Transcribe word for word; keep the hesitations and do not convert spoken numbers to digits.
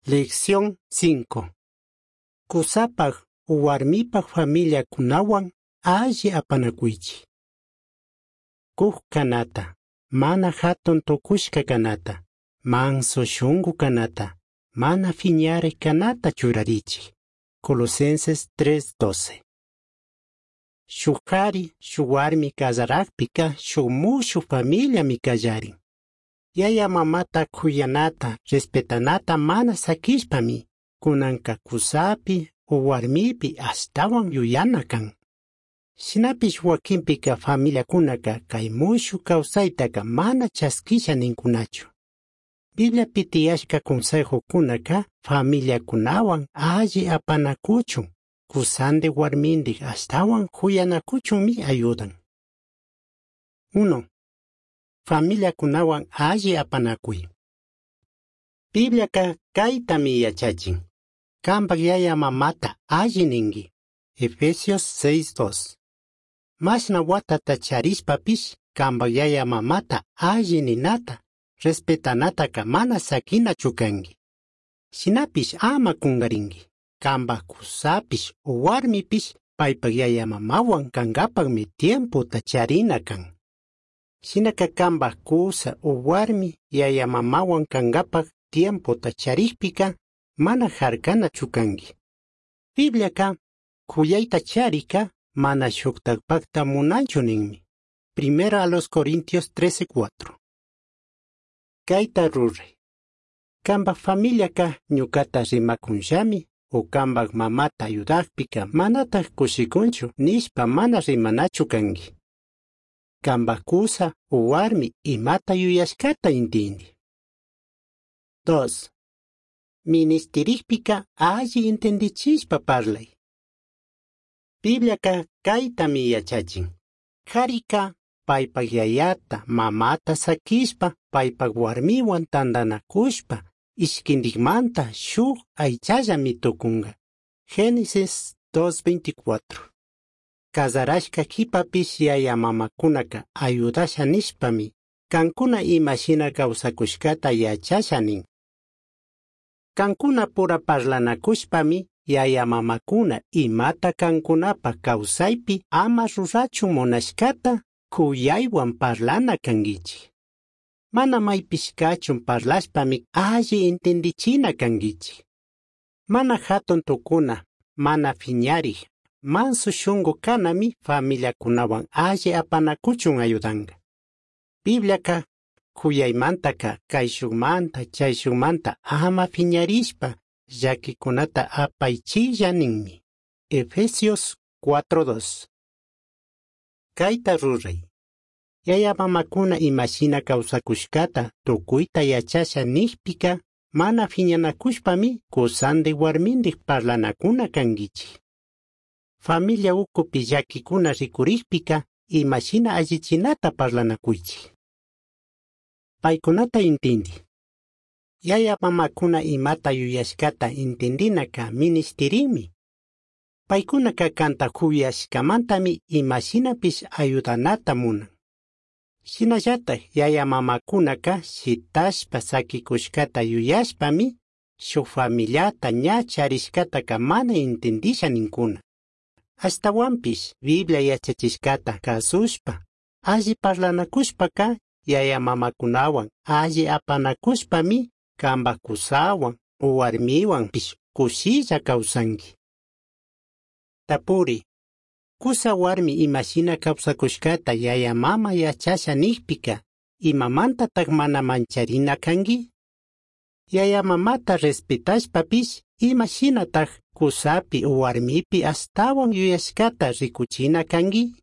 Lección cinco. Cusapaj huarmipaj familiakunawan alli apanakuychik. Cuj kanata, mana hatun tukushka kanata, manso shungu kanata, mana fiñarik kanata churarichik. Colosenses tres doce. Shuk kari, shuk warmi kallarakpika shuk mushuj familiami kallarin. Yaya mamata kuyanata, respetanata mana sakishpami, kunanka kusapi o warmipi ashtawan yuyana kan. Shinapish wakinpika familiakunaka kay mushuj kawsaytaka mana chaskisha ninkunachu. Bibliapi tiyashka consejokunaka familiakunawan alli apanakuchun, kusandik warmindik ashtawan kuyanakuchunmi ayudan. Uno. Familiakunawan alli apanakuy. Bibliaka kaytami yachachin. Kampak yaya mamata alli ninki. Efesios seis dos. Mashna watata charishpapish kampak yaya mamata alli ninata, respetanataka mana sakinachu kanki. Shinapish ama kunkarinki. Kampak kusapish o warmipish paypak yaya mamawan kankapakmi tiempota charina kan. Shinaka kampak kusa o warmi yaya mamawan kankapak tiempota charikpika mana harkanachu kanki. Bibliaka kuyayta charika mana shuktakpakta munanchu ninmi. Primera a los Corintios trece cuatro. Kayta ruray. Kampak familiaka ñukata rimakunllami o kampak mamata ayudakpika manatak kushikunchu nishpa mana rimanachu kanki. Kampak kusa o warmi imata yuyashkata intindi. Dos. Ministirikpika alli entendichishpa parlay. Bibliaka kaytami yachachin. Karika paypak yayata, mamata sakishpa, paypak warmiwan tantanakushpa, ishkindikmanta shuk aychallami tukunka. Génesis dos veinticuatro. Kazarashka kipapish yaya mamakunaka ayudasha nishpami, kankuna imashina kawsakushkata yachasha nin. Kankuna pura parlanakushpami, yaya mamakuna imata kankunapa kawsaypi ama rurachun munashkata kuyaywan parlana kankichik. Mana maypish kachun parlashpami alli entendichina kankichik. Mana hatun tukuna, mana fiñarik, manso shungu kanami familiakunawan alli apanakuchun ayudanka. Bibliaka kuyaymantaka kayshukmanta chayshukmanta ama fiñarishpa llakikunata apaychilla ninmi. Efesios cuatro dos. Kayta ruray. Yaya mamakuna imashina kawsakushkata tukuyta yachasha nikpika mana fiñanakushpami kusandik warmindik parlanakuna kankichik. Familia ukupi llakikuna rikurikpika imashina allichinata parlanakuychik. Paykunata intindi. Yaya mamakuna imata yuyashkata intindinaka ministirinmi. Paykunaka kanta kuyashkamantami imashinapish ayudanata munan. Shinallatak yaya mamakunaka shitashpa sakikushkata yuyashpami shuk familiata ña charishkataka mana intindisha ninkuna. Ashtawanpish Biblia yachachishkata kasushpa, alli parlanakushpaka yaya mamakunawan alli apanakushpami kampak kusawan o warmiwanpish kushilla kawsanki. Tapuri. Kusa warmi imashina kawsakushkata yaya mama yachasha nikpika, imamantatak mana mancharina kanki? Yaya mamata respetashpapish imashinatak kusapi o warmipi ashtawan yuyashkata rikuchina kanki?